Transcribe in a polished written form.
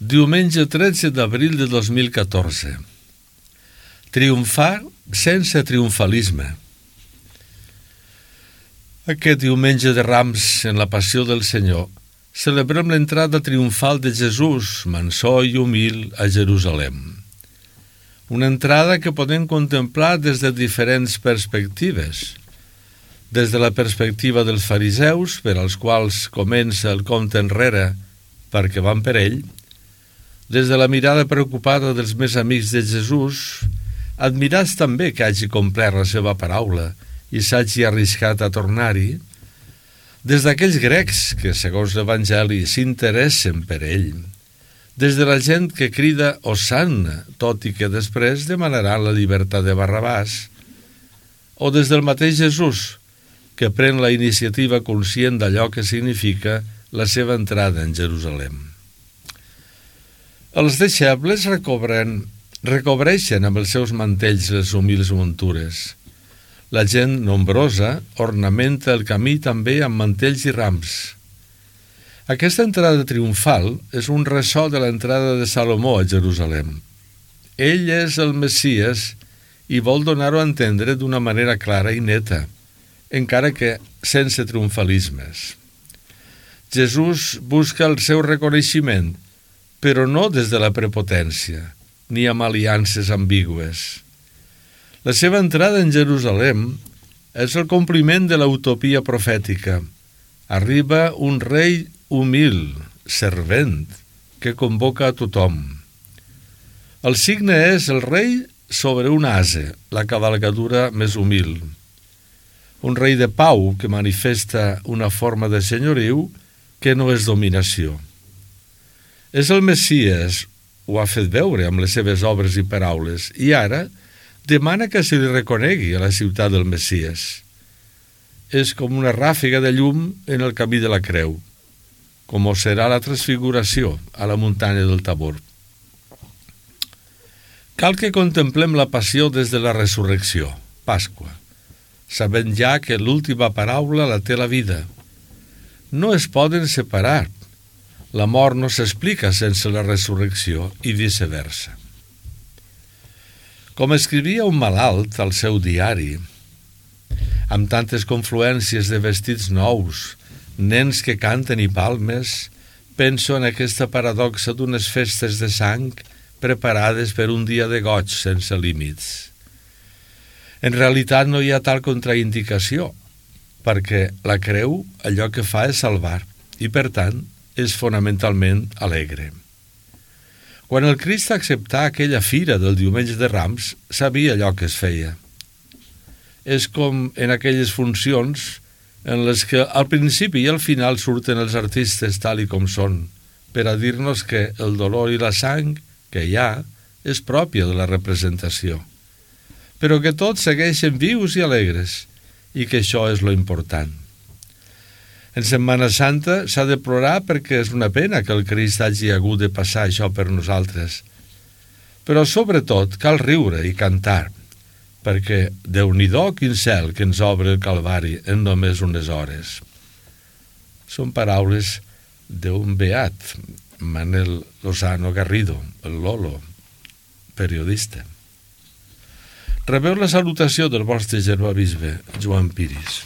Diumenge 13 d'abril de 2014. Triomfar sense triomfalisme. Aquest diumenge de Rams, en la Passió del Senyor, celebrem l'entrada triomfal de Jesús, mansó i humil, a Jerusalem. Una entrada que podem contemplar des de diferents perspectives. Des de la perspectiva dels fariseus, per als quals comença el compte enrere perquè van per ell, des de la mirada preocupada dels més amics de Jesús, admirats també que hagi complert la seva paraula i s'hagi arriscat a tornar-hi, des d'aquells grecs que, segons l'Evangeli, s'interessen per ell, des de la gent que crida Hosanna, tot i que després demanarà la llibertat de Barrabàs, o des del mateix Jesús, que pren la iniciativa conscient d'allò que significa la seva entrada en Jerusalem. Els deixebles recobreixen amb els seus mantells les humils muntures. La gent nombrosa ornamenta el camí també amb mantells i rams. Aquesta entrada triomfal és un ressò de l'entrada de Salomó a Jerusalem. Ell és el Messies i vol donar-ho a entendre d'una manera clara i neta, encara que sense triomfalismes. Jesús busca el seu reconeixement, però no des de la prepotència, ni amb aliances ambigües. La seva entrada en Jerusalem és el compliment de l'utopia profètica. Arriba un rei humil, servent, que convoca a tothom. El signe és el rei sobre un ase, la cavalcadura més humil. Un rei de pau que manifesta una forma de senyoriu que no és dominació. És el Messies, ho ha fet veure amb les seves obres i paraules, i ara demana que se li reconegui a la ciutat del Messies. És com una ràfega de llum en el camí de la creu, com ho serà la transfiguració a la muntanya del Tabor. Cal que contemplem la passió des de la resurrecció, Pasqua, sabent ja que l'última paraula la té la vida. No es poden separar. La mort no s'explica sense la resurrecció i viceversa. Com escrivia un malalt al seu diari, amb tantes confluències de vestits nous, nens que canten i palmes, penso en aquesta paradoxa d'unes festes de sang preparades per un dia de goig sense límits. En realitat no hi ha tal contraindicació, perquè la creu allò que fa és salvar i, per tant, és fonamentalment alegre. Quan el Crist acceptà aquella fira del diumenge de Rams, sabia allò que es feia. És com en aquelles funcions en les que al principi i al final surten els artistes tal i com són, per a dir-nos que el dolor i la sang que hi ha és pròpia de la representació, però que tots segueixen vius i alegres, i que això és lo important. En Setmana Santa s'ha de plorar perquè és una pena que el Crist hagi hagut de passar això per nosaltres. Però sobretot cal riure i cantar, perquè Déu-n'hi-do quin cel que ens obre el Calvari en només unes hores. Són paraules d'un beat, Manel Lozano Garrido, el Lolo, periodista. Rebeu la salutació del vostre germà bisbe, Joan Piris.